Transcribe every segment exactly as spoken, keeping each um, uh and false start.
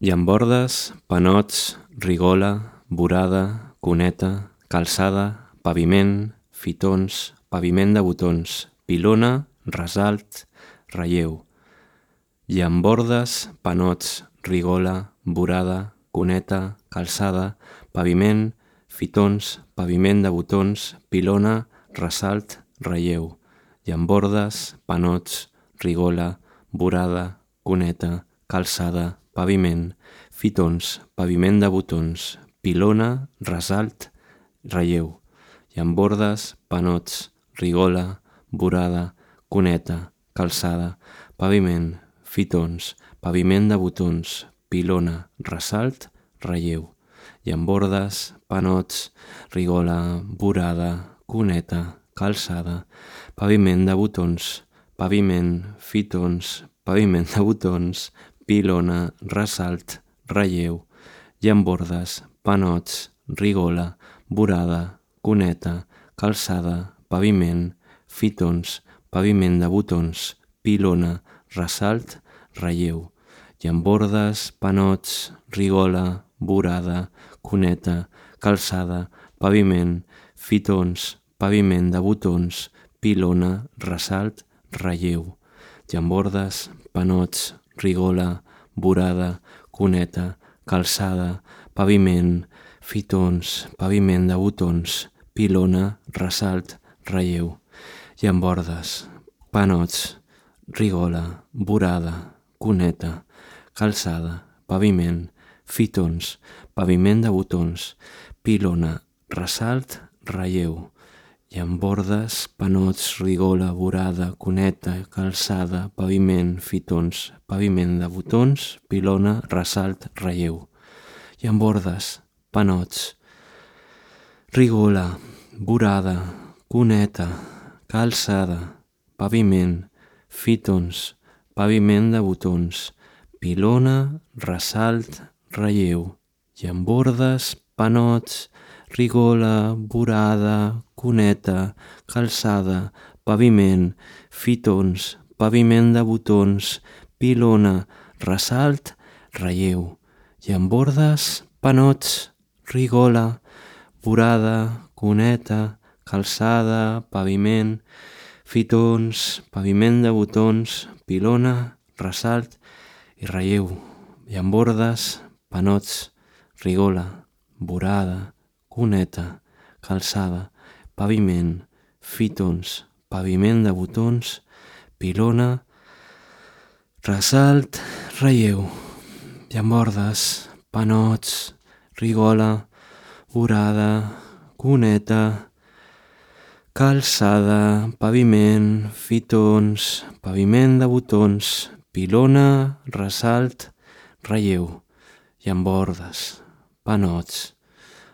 Llambordes, panots, rigola, vorada, cuneta, calçada, paviment, fitons, paviment de botons, pilona, resalt, relleu. Llambordes, panots, rigola, vorada, cuneta, calçada, paviment, fitons, paviment de botons, pilona, ressalt, relleu. Llambordes, panots, rigola, vorada, cuneta, calçada, paviment, fitons, paviment de botons, pilona, ressalt, relleu. Llambordes, panots, rigola, vorada, cuneta, calçada, paviment, fitons, paviment de botons, pilona, ressalt, relleu. Llambordes, panots, rigola, vorada, cuneta, calçada, paviment de botons, paviment, fitons, paviment de botons, pilona, ressalt, relleu. Llambordes, panots, rigola, vorada, cuneta, calçada, paviment, fitons, paviment de botons, pilona, ressalt, relleu. Llambordes, panots, rigola, vorada, cuneta, calçada, paviment, fitons, paviment de botons, pilona, ressalt, relleu. Llambordes, panots, rigola, vorada, cuneta, calçada, paviment, fitons, paviment de botons, pilona, ressalt, relleu. Llambordes, panots, rigola, vorada, cuneta, calçada, paviment, fitons, paviment de botons, pilona, ressalt, relleu. Llambordes, panots, rigola, vorada, cuneta, calçada, paviment, fitons, paviment de botons, pilona, ressalt, relleu. Llambordes, panots, rigola, vorada, cuneta, calçada, paviment, fitons, paviment de botons, pilona, ressalt, relleu. Llambordes, panots, rigola, vorada, cuneta, calçada, paviment, fitons, paviment de botons, pilona, ressalt, relleu. Llambordes, panots, rigola, vorada, cuneta, calçada, paviment, fitons, paviment de botons, pilona, ressalt i relleu. Llambordes, panots, rigola, vorada, cuneta, calçada, paviment, fitons, paviment de botons, pilona, ressalt, relleu. Llambordes, panots, rigola, vorada, cuneta, calçada, paviment, fitons, paviment de botons, pilona, ressalt, relleu. Llambordes, panots,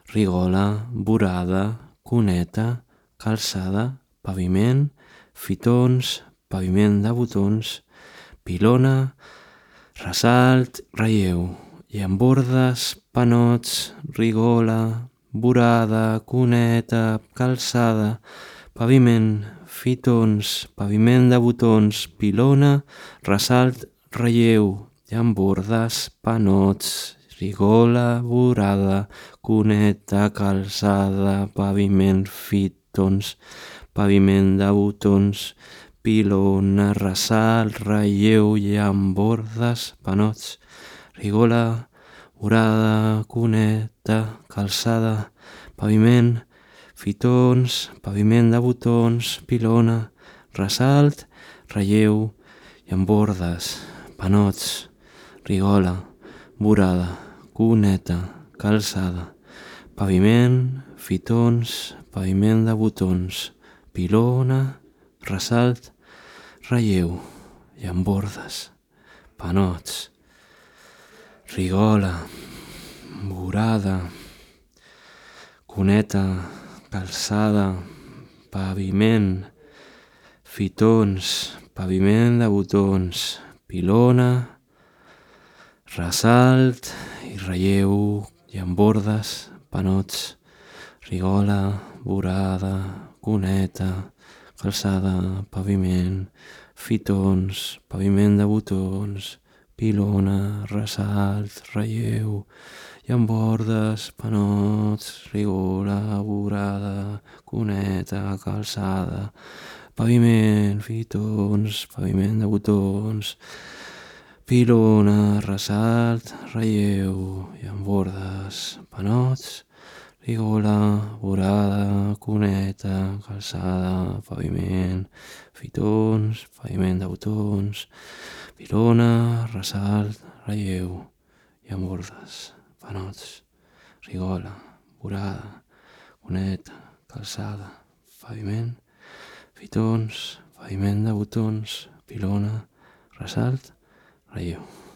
rigola, vorada, cuneta, calçada, paviment, fitons, paviment de botons, pilona, ressalt, relleu. Llambordes, panots, rigola, vorada, cuneta, calçada, paviment, fitons, paviment de botons, pilona, ressalt, relleu. Llambordes, panots, rigola, vorada, cuneta, calçada, paviment, fitons, paviment de botons, pilona, ressalt, relleu. Llambordes, panots, rigola, vorada, cuneta, calçada, paviment, fitons, paviment de botons, pilona, ressalt, relleu. Llambordes, panots, rigola, vorada, cuneta, calçada, paviment, fitons, paviment de botons, pilona, ressalt, relleu. Llambordes, panots, rigola, vorada, cuneta, calçada, paviment, fitons, paviment de botons, pilona, ressalt i relleu. Llambordes, panots, rigola, vorada, cuneta, calçada, paviment, fitons, paviment de botons, pilona, ressalt, relleu, llambordes, panots, rigola, vorada, cuneta, calçada, paviment, fitons, paviment de botons, pilona, ressalt, relleu, llambordes, panots, rigola, vorada, cuneta, calçada, paviment, fitons, paviment de botons, pilona, ressalt, relleu, llambordes, panots, rigola, vorada, cuneta, calçada, paviment, fitons, paviment de botons, pilona, ressalt, relleu.